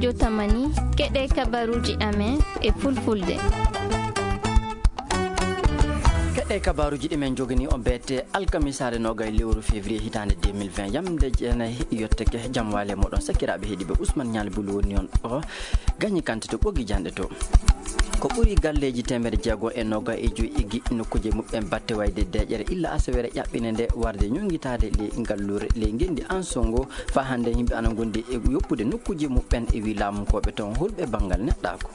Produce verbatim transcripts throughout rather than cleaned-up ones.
Jotamani, keɗe kabaruuji amen e fulfulde. Keɗe kabaruuji ɗi men jogani on beete alkamisaare nogay lewru février hitaande deux mille vingt. Yamde jeenay yotteke, jam waale moɗon sakiraaɓe heɗiɓe. Ousmane Ñaali Bulu woni on ɗo gañi kante to ɓogi janɗe to. Ko ɓuri galleeji teemedde jeego e noga e joyi eggi nokkuuje muɓɓen batte wayde deeƴere illa asawere ƴaɓɓine nde warde ñoŋitaade ley ngalluure ley ngenndi Ansongo. Faa hannde yimɓe ana ngondi e yoppude nokkuuje muɓɓen e wii laamunkooɓe toon hulɓe banngal neɗɗaaku.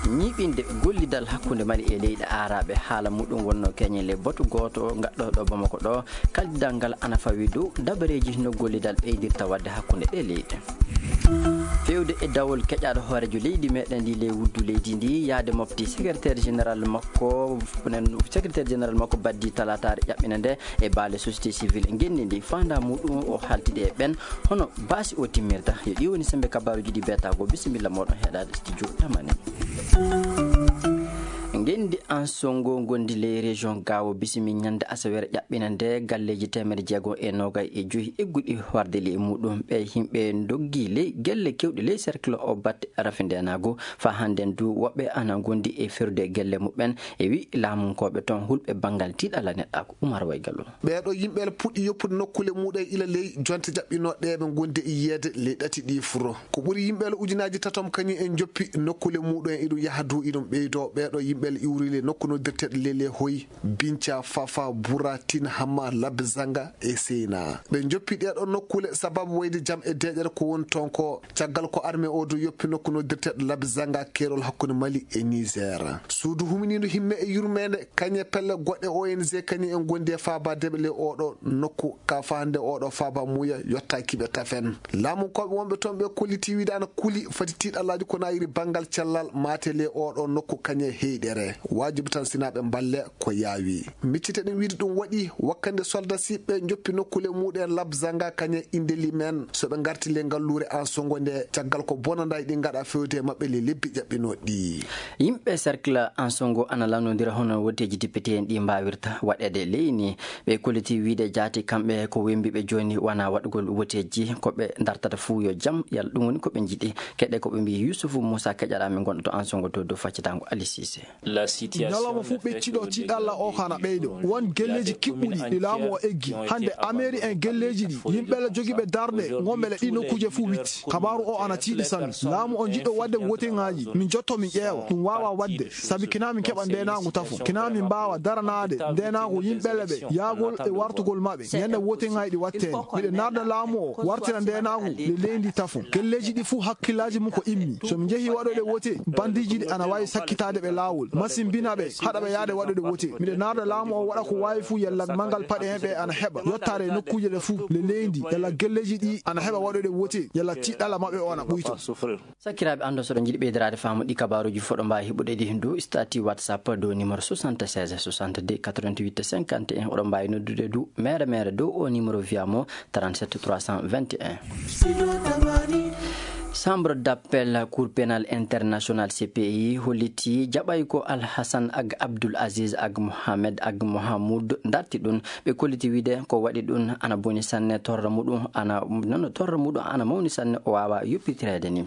Ñiiɓinde gollidal hakkunde Mali e leyɗe aaraaɓe, haala muɗum wonno keñe le batu gooto ngaɗɗo ɗo Bamako ɗo, kaldidal ngal ana fawi dow dabareeji no gollidal ɓeydirta waɗde hakkunde ɗe leyɗe. Feewde e dawol keƴaaɗo hooreejo leydi meɗen ndi ley wuddu leydi ndi, yaade mofti secrétaire général makko, secrétaire général makko baddi talaataare ƴaɓɓina nde e baale société civile ngenndi ndi. Faandaa muɗum o haaltide e ɓen hono baasi o timmirta. Yo ɗi woni sembe kabaruuji ɗi beetaago. Bisimilla moɗon heɗaade studio Tamani. Ngenndi Ansongo ngondi ley région Gaawo bisimi ñande asawere ƴaɓɓina nde galleeji teemedde jeego e nogay e joyi egguɗi warde ley muɗum. Ɓe yimɓe ndoggi ley gelle kewɗe ley cercle o batte rafi ndenaagu. Faa hannden du woɓɓe ana ngondi e ferude gelle muɓɓen e wi laamunkooɓe toon hulɓe banngal tiiɗalla neɗɗaaku. Umar Waygallo. Ɓeeɗo yimɓe puɗɗi yoppude nokkuule muɗum ila ley jonte jaɓɓinooɗe ɓe ngondi e yiyeede ley ɗati ɗi furo. Ko ɓuri yimɓe ujunaaji tatom kañum en njoppi nokkuule muɗum en, iɗum yaha dow, iɗum ɓeydoo. Ɓeeɗo yimɓe iwri le nokku noddirteeɗo Lele Hoy, Binca, Fafa, Bura, Tin, Hama, Labzanga e Seyna. Ɓe njoppi ɗeeɗoo nokkuule sababu wayde jam e deeƴere ko woni toon ko, caggal ko armée o du yoppi nokku noddirteeɗo Labzanga, keerol hakkunde Mali e Niger. Suudu huminiindu himme e yurmeende, kañe pelle goɗɗe O N G kañum en ngondi e faabaade ɓe le oɗo nokku. Ka faa hannde oɗo faaba muuya yottaaki ɓe tafen. Laamunkooɓe wonɓe toon ɓe kolliti wiide ana kuli fati tiiɗallaaji ko nayiri banngal cellal maate le oɗo nokku kañe heyɗere. Waajibi tan sinaaɓe mballe ko yaawi. Miccite ɗen wiide ɗum waɗi wakkande soldasiiɓe njoppi nokkuule muɗum en Labzanga kañe Indeli men so ɓe ngarti le ngalluure Ansongo nde, caggal ko bonandaay ɗi ngaɗa fewde e maɓɓe le lebbi ƴaɓɓinooɗi. Yimɓe cercle Ansongo ana lannondira hono woteeji député en ɗi mbaawirta waɗeede leyni. Ɓe kolliti wiide jaati kamɓe ko wembiiɓe jooni wona waɗugol woteeji, ko ɓe dartata fuu yo jam, yalla ɗum woni ko ɓe njiɗi. Keɗe ko ɓe mbii Yusufu Muusa keƴaɗaa min gonɗo to Ansongo to dow faccitango Ali Sise. Ñalawma fof ɓecciɗo tiiɗalla o ko ana ɓeydo. Won gelleeji kiɓɓuɗi ɗi laamu o eggi. Hannde ameeri en gelleeji ɗi, yimɓe le jogiiɓe darɗe, ngonɓe le ɗi nokkuuje fof witti. Kabaaru o ana tiiɗi sanne. Laamu o jiɗɗo waɗde woteŋaaji, min jotto min ƴeewa. Ɗum waawaa waɗde, sabi kina min keɓa ndeenaagu tafo. Kina min mbaawa daranaade ndeenaagu yimɓe le ɓe, yaagol e wartugol maɓɓe. Ñande woteŋaaji ɗi wattee. Miɗo naatna laamu o, wartira ndeenaagu le leydi tafo. Gelleeji ɗi fof hakkillaaji mum ko immi. So mi njehii waɗoyde wote, bandiiji ɗi ana waawi sakkitaade ɓe laawol, masimbina ɓe, haɗa ɓe yahde waɗoyde wote. Miɗo naatna laamu o waɗa ko waawi fof, yalla manngal paɗe heen ɓe ana heɓa yottaade e nokkuuje ɗe fof le leydi, yalla gelleeji ɗi ana heɓa waɗoyde wote, yalla tiiɗalla maɓɓe o ana ɓuyto. Sakiraaɓe, anndo so ɗon njiɗi ɓeydiraade faamu ɗi kabaaruuji fof ɗo mbaawi heɓude ɗi heen dow statut WhatsApp dow numéro soixante-seize soixante-deux quatre-vingt-huit cinquante et un. Oɗon mbaawi noddude du meere meere dow o numéro via mo trente-sept trois cent vingt et un. Chambre d'appel Cour pénale internationale, C P I, holliti jaɓay ko Al Hassan ak Abdul Aziz ak Mohamed ak Mohamoud darti ɗum. Ɓe kolliti wiide ko waɗi ɗum ana boni sanne, torra muɗum ana, nono torra muɗum ana mawni sanne, o waawa yoppitireede ni.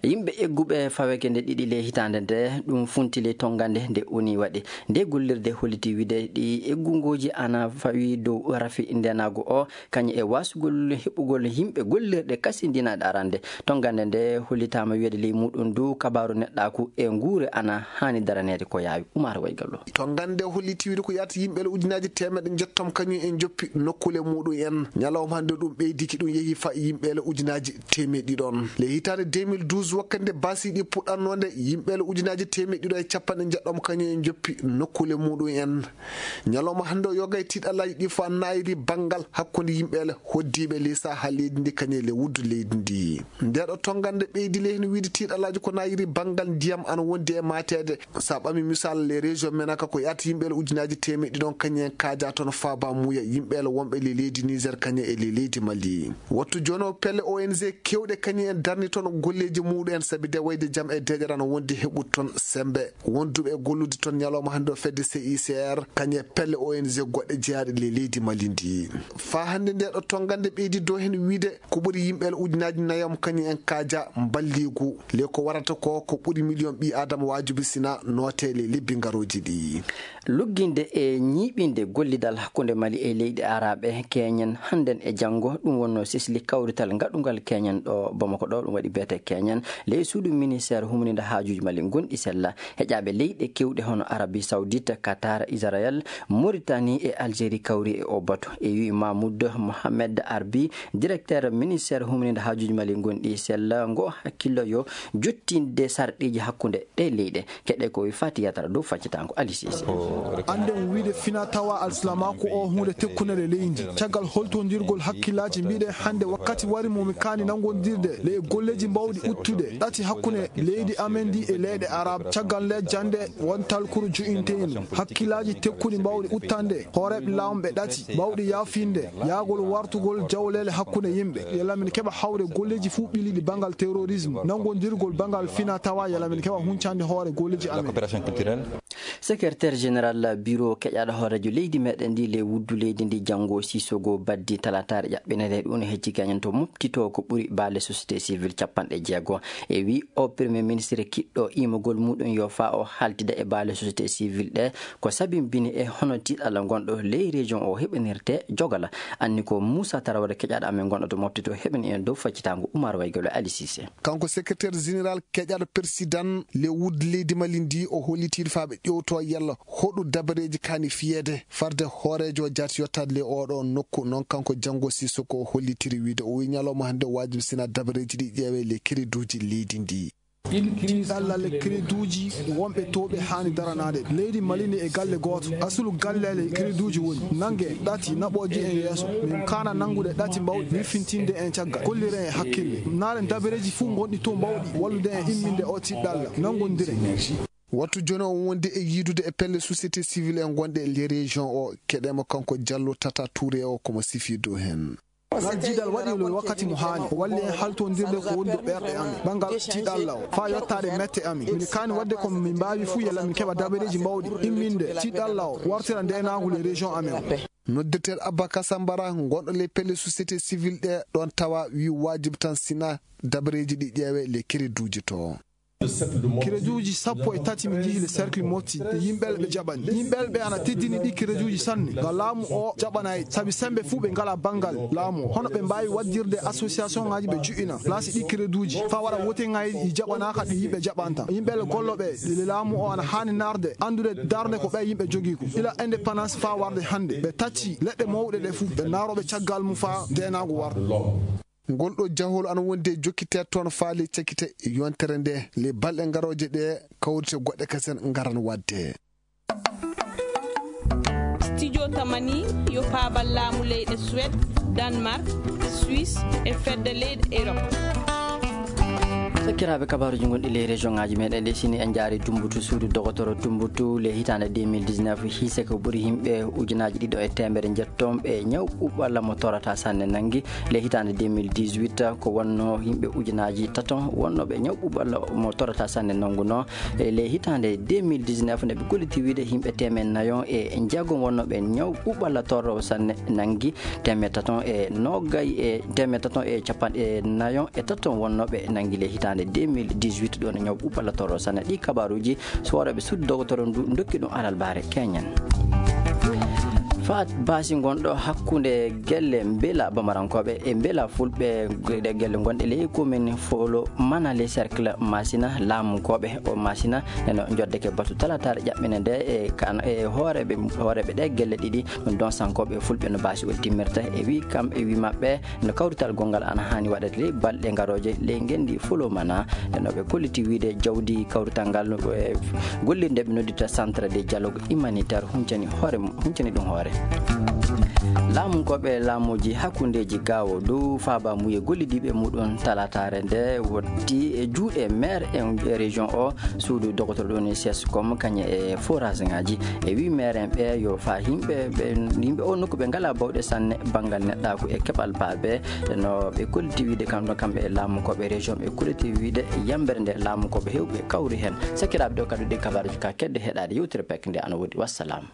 Yimɓe egguɓe faweke nde ɗiɗi ley hitaande nde, ɗum funti ley tongande nde oni waɗi. Nde gollirde holliti wiide ɗi eggungooji ana fawi dow rafi ndenaagu o, kañum e waasugol heɓugol yimɓe gollirɗe kasindinaaɗe arande. Tongande nde hollitaama wiyeede ley muɗum du kabaaru neɗɗaaku e nguure ana haani daraneede ko yaawi. Umar Waygallo. Tongande nde holliti wiide ko yaata yimɓe le ujunaaji teemeɗɗe njettom kañum en njoppi nokkuule muɗum en. Ñalawma hannde ɗum ɓeydiki, ɗum yehi fa yimɓe le ujunaaji teemeɗɗe ɗiɗon. Le hitaande deux mille douze, wakkati nde baasi ɗi puɗɗannoo nde, yimɓe le ujunaaji teemeɗɗe ɗiɗo e capanɗe njeɗɗom kañum en njoppi nokkuule muɗum en. Ñalawma hannde o yoga e tiiɗallaaji ɗi fof nayri banngal hakkunde yimɓe le hoddiiɓe ley saha leydi ndi kañum e le wuddu leydi ndi. Ndeɗo tongande ɓeydi le heen wiide tiiɗallaaji ko nayri banngal ndiyam ana wondi e maateede. Sa ɓami misal le région Menaka ko yaata yimɓe le ujunaaji teemeɗɗe ɗiɗon kañum en kaaja toon faaba muuya yimɓe le wonɓe le leydi Niger kañum e le leydi Mali. Wattu jono pelle O N G kewɗe kañum en darni toon golleeji muɗum en, sabi de wayde jam e deeƴere ana wondi heɓude toon semmbe. Wonduɓe e gollude toon ñalawma hannde o fedde C I C R, kañum e pelle O N G goɗɗe jeyaaɗe le leydi Mali ndi. Faa hannde nde ɗo tonngande ɓeydi dow heen wiyde ko ɓuri yimɓe ujunaaji nayo kañum en kaaja mballiigu. Le ko warata ko, ko ɓuri miliyoŋ ɓii Aadama waajibi sina nootee le lebbi ngarooji ɗi. Lugginde e ñiiɓinde gollidal hakkunde Mali e leyɗe Araaɓe keñen hannden e janngo, ɗum wonnoo sesli kawrital ngaɗungal keñen ɗo Bamako ɗo, ɗum waɗi beete keñen ley suudu ministeer humnindo haajuuji Mali gonɗi sella. Heƴaaɓe leyɗe kewɗe hono Arabie Saoudite, Qatar, Israël, Mauritanie e Algérie kawri e o batu. E wi Mahmoud Mohamed Arbi, directeur ministeer humnindo haajuuji Mali gonɗi sella, ngo hakkillo yo jottinde sarɗiiji hakkunde ɗe leyɗe. Keɗe ko wi Fati Yatara dow faccitaango Aliou Cissé. Annden wiyde fina tawa alsilamaaku o huunde tekkunere leydi. Caggal holtondirgol hakkillaaji, mbiɗen hannde wakkati wari mo mi kaani nanngondirde le e golleeji mbawɗi uttude ɗati hakkunde leydi amen ndi e leyɗe Arab. Caggal nde jannde won talkuru jo'inteendu hakkillaaji tekkuɗi mbawɗi uttande hooreeɓe laamɓe ɗati mbawɗi yaafinde yaagol wartugol jawleele hakkunde yimɓe. Yalla min keɓa hawre golleeji fuu ɓiliiɗi banngal terrorisme, nanngondirgol banngal fina tawa, yalla min keɓa huncande hoore golleeji amen. Secrétaire général bureau keƴaaɗo hooreejo leydi meɗen ndi le wuddu leydi ndi Janngo Sissoco Baddi talataare ƴaɓɓinere ɗum hecci gañen to mofti to ko ɓuri baale société civile capanɗe jeego. E wi o premier ministre kiɗɗo imogol muɗum yo fa o haltida e baale société civile ɗe ko sabimbini e hono tiɗalla gonɗo ley région o heɓinirte jogala. Anni ko Moussa Tarawre keƴaaɗo amen gonɗo to mofti to heɓini en dow faccitaango Oumar Waygolo Ali Cissé. Kanko secrétaire général keƴaaɗo président le wuddu leydi Mali ndi o hollitiiɗo faa ɓe ƴeewto yalla hoɗu dabareeji kaani fiyeede farde hooreejo jaati yottaade le oɗo nokku. Noon kanko Janngo Sissoco o hollitiri wiyde o wi ñalawma hannde waajibi sina dabareeji ɗi ƴeewe le crédituuji leydi ndi. Tiɗalla le crédituuji wonɓe to ɓe haani daranaade. Leydi Mali ndi e galle gooto. Asulu galle le crédituuji woni nannge ɗati naɓooji en yeeso. Min kaana nanngude ɗati mbawɗi wirfintinde en caggal. Kollire en hakkille. Naale dabareeji fuu ngonɗi to mbawɗi wallude en imminde o tiɗalla. Nanngondire. Wattu jooni o wondi e yiidude e pelle société civile en gonɗe e les région o. Keɗeemo kanko Jallo Tata Touré o komo sifii dow heen. Ngal jiidal waɗi le wakkati mo haani. O walli en haltondirde ko woni dow ɓerɗe amen. Banngal tiɗalla o. Faa yottaade mette amen. Min kaani waɗde ko min mbaawi fuu yalla min keɓa dabareeji mbawɗi. Imminde tiɗalla o. Wartira ndeenaagu le région amen o. Noddirteeɗo Abba Kasambara, gonɗo le pelle société civile ɗe ɗoon tawa wi waajib tan sina dabareeji ɗi ƴeewe le crédituuji to. Crédituuji sappo e tati mi njihi le cercle Mopti, yimɓe ɓe jaɓani. Yimɓe ɓe ana teddini ɗi crédituuji sanne. Nga laamu o jaɓanaay, sabi sembe fuu ɓe ngalaa banngal laamu o. Hono ɓe mbaawi waɗdirde association ŋaaji ɓe juɓɓina place ɗi crédituuji, faa waɗa wote ŋaaji ɗi jaɓanaaka ɗi yimɓe jaɓanta. Yimɓe gollooɓe le laamu o ana haani naarde, anndude darnde ko ɓe yimɓe jogii ko. Ila indépendance faa warde hannde, ɓe tacci leɗɗe mawɗe ɗe fuu, ɓe naarooɓe caggal mum faa ndeenaagu warde. Ngol ɗo jahol ana wondi e jokkiteede toon faale cakkite yontere nde. Le balɗe ngarooje ɗe kawrite goɗɗe kasen ngaran waɗde. Studio Tamani yo paabal laamu leyɗe Suède, Danemark, Suisse e fedde leyɗe Europe. Sakkiraaɓe, kabaaruuji gonɗi ley région ŋaaji meɗen ɗi, sini en njaari Dumbutu, suudu dogotoro Dumbutu, le hitaande deux mille dix-neuf, hiise ko ɓuri yimɓe ujunaaji ɗiɗo e teemedere njetton ɓe ñaw ɓuɓɓalla mo torata sanne nanngi. Le hitaande deux mille dix-huit, ko wonno yimɓe ujunaaji taton wonno ɓe ñaw ɓuɓɓalla mo torata sanne nannguno. E le hitaande deux mille dix-neuf, nde ɓe golliti wiide yimɓe teemed nayon e jeegom wonno ɓe ñaw ɓuɓɓalla torro sanne nanngi. Teemed taton e noogay e teemed taton e capanɗe nayon e taton wonno ɓe nanngi le hitaande deux mille dix-huit ɗo no ñaw ɓuɓɓalla torro sanne. Ɗi kabaaruuji so waɗooɓe suudu dogotoro ndu ndokki ɗum alalbaare keñen. Faat baasi gonɗo hakkunde gelle Mbela Bamarankooɓe e Mbela Fulɓe, ɗe gelle gonɗe ley commune Folo Mana, le cercle Masina, laamukooɓe o Masina eno njoddeke batu talataare ƴaɓɓine nde e kan, e hooreeɓe, hooreeɓe ɗe gelle ɗiɗi, ɗum donsankooɓe Fulɓe no baasi o timmirta. E wi kam, e wi maɓɓe, no kawrital gonngal ana haani waɗeede ley balɗe ngarooje ley ngenndi Folo Mana. Nden no ɓe kolliti wiide jawdi kawrital ngal, e gollirde ɓe noddita centre de dialogue humanitaire huncani hoore, huncani ɗum hoore. Laamunkooɓe laamuuji hakkundeeji gawo dow faaba muye gollidiiɓe muɗum talataare nde wotti e juuɗe maire en e région o. Suudu dogotoro ɗo ni sescom kañe e forage ngaji e wi maire en ɓe yo fa yimɓe ɓe yimɓe o nokku ɓe ngala bawɗe sanne banngal neɗɗaaku e keɓal baabe no ɓe kolliti wiide kam ɗo kamɓe e laamunkooɓe région ɓe kolliti wiide yambere nde laamunkooɓe hewɓe kawri heen. Sakiraaɓe ɗo kadi ɗi kabaruji ka kedde heɗaade yewtere pek nde ana woodi wassalam.